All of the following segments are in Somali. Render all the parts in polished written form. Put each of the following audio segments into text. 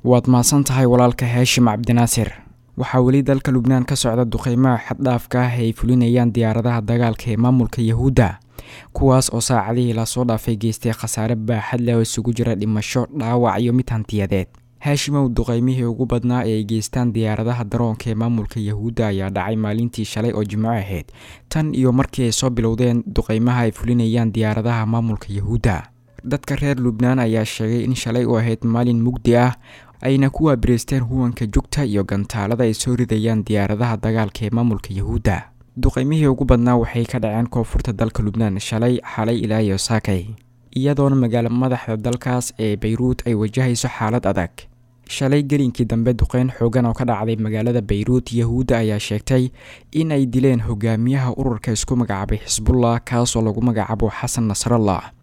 Waad mahadsan tahay walaalka Haashim Cabdinaasir. Waxaa weli dalka Lubnaan ka socda duqeymaha xaddhaafka ah ay fulinayaan diyaaradaha dagaalka ee maamulka Yahuudda, kuwaas oo saacadihii lasoo dhaafay geystay khasaare baaxad leh oo isugu jira dhimasho, dhaawac iyo mid hantiyadeed. Haashimow, duqeymihii ugu badnaa ee ay geystaan diyaaradaha daroonka ee maamulka Yahuudda ayaa dhacay maalintii shalay oo Jimco ahayd, tan iyo markii ay soo bilowdeen duqeymaha ay fulinayaan diyaaradaha maamulka Yahuudda. Dadka reer Lubnaan ayaa sheegay in shalay u ahayd maalin mugdi ah, ayna ku waabireysteen huwanka jugta iyo gantaalada ay soo ridayaan diyaaradaha dagaalka ee maamulka Yahuudda. Duqeymihii ugu badnaa waxay ka dhaceen koonfurta dalka Lubnaan shalay, xalay ilaa iyo saakay, iyadoona magaalo madaxda dalkaas ee Bayruut ay wajahayso xaalad adag. Shalay gelinkii dambe duqeyn xoogan oo ka dhacday magaalada Bayruut, Yahuudda ayaa sheegtay in ay dileen hogaamiyaha ururka isku magacaabay Xisbullah, kaasoo lagu magacaabo Xasan Nasrallah.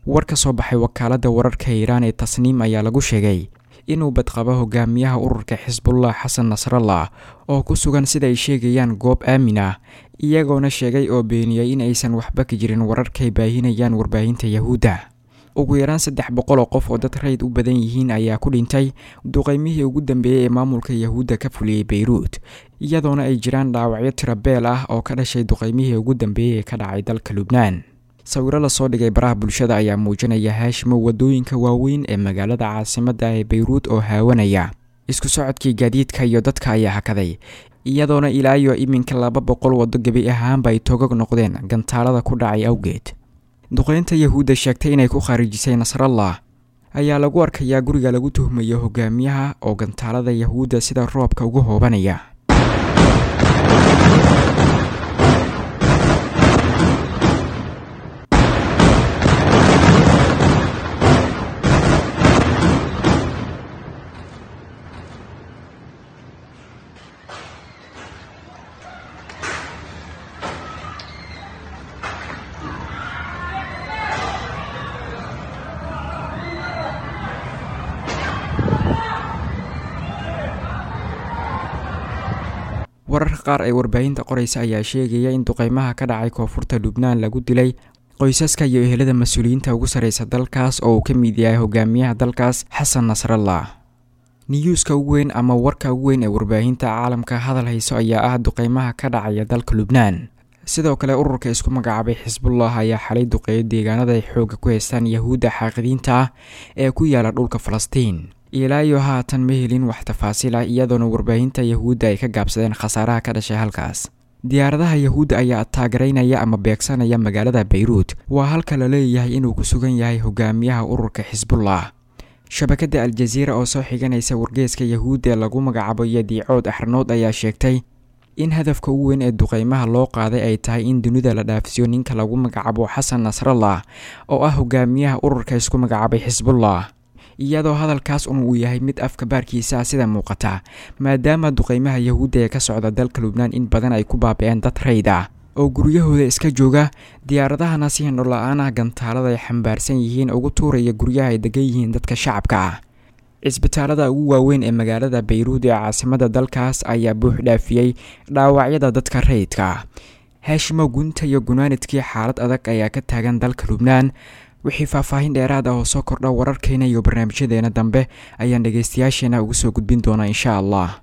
War ka soo baxay wakaaladda wararka Iiraan ee Tasniim ayaa lagu sheegay inuu badqabo hogaamiyaha ururka Xisbullah Xasan Nasrallah oo ku sugan sida ay sheegayaan goob aamin ah, iyagoona sheegay oo beeniyey in aysan waxba ka jirin wararkay baahinayaan warbaahinta Yahuudda. Ugu yaraan 300 oo qof oo dad rayid u badan yihiin ayaa ku dhintay duqeymihii ugu dambeeyey ee maamulka Yahuudda ka fuliyey Bayruut, iyadoona ay jiraan dhaawacyo tirabeel ah oo ka dhashay duqeymihii ugu dambeeyey ee ka dhacay dalka Lubnaan. Sawiro lasoo dhigay baraha bulshada ayaa muujinaya Haashimo wadooyinka waaweyn ee magaalada caasimadda ee Bayruut oo haawanaya. Isku socodkii gaadiidka iyo dadka ayaa hakaday, iyadoona ilaa iyo iminka 200 waddo gebi ahaanba ay togog noqdeen gantaalada ku dhacay awgeed. Duqeynta Yahuudda sheegtay inay ku khaarijisay Nasrallah ayaa lagu arkayaa guriga lagu tuhmayo hogaamiyaha oo gantaalada Yahuudda sida roobka ugu hoobanaya. Wararka qaar ee warbaahinta qoraysa ayaa sheegaya in duqeymaha ka dhacay koonfurta Lubnaan lagu dilay qoysaska iyo ehelada mas-uuliyiinta ugu sarreysa dalkaas oo uu ka mid yahay hogaamiyaha dalkaas Xasan Nasrallah. Niyuuska ugu weyn ama warka ugu weyn ee warbaahinta caalamka hadal hayso ayaa ah duqeymaha ka dhacaya dalka Lubnaan. Sidoo kale ururka isku magacaabay Xisbullah ayaa xalay duqeeyo deegaanada ay xoogga ku haystaan Yahuudda xaaqidiinta ah ee ku yaala dhulka Falastiin. Ilaa iyo haatan ma helin wax tafaasiil ah, iyadoona warbaahinta Yahuudda ay ka gaabsadeen khasaaraha ka dhashay halkaas. Diyaaradaha Yahuudda ayaa taagereynaya ama beegsanaya magaalada Bayruut, waa halka la leeyahay inuu ku sugan yahay hogaamiyaha ururka Xisbullah. Shabakadda Aljaziira oo soo xiganaysa wargeeska Yahuudda ee lagu magacaabo Yadiicood Axranood ayaa sheegtay in hadafka ugu weyn ee duqeymaha loo qaaday ay tahay in dunida la dhaafsiyo ninka lagu magacaabo Xasan Nasrallah oo ah hogaamiyaha ururka isku magacaabay Xisbullah, iyadoo hadalkaas un uu yahay mid afka baarkiisa ah sida muuqata, maadaama duqeymaha Yahuudda ee ka socda dalka Lubnaan in badan ay ku baabi'een dad rayd ah oo guryahooda iska jooga, diyaaradahana si hindho la-aan ah gantaalada ay xambaarsan yihiin ugu tuuraya guryaha ay degan yihiin dadka shacabka ah. Cisbitaalada ugu waaweyn ee magaalada Bayruud ee caasimada dalkaas ayaa buux dhaafiyey dhaawacyada dadka rayidka ah. Haashimo, gunta iyo gunaanidkii xaalad adag ayaa ka taagan dalka Lubnaan. Wixii faahfaahin dheeraad ah oo soo kordha wararkeena iyo barnaamijyadeena dambe ayaan dhegaystayaasheena ugu soo gudbin doonaa insha allah.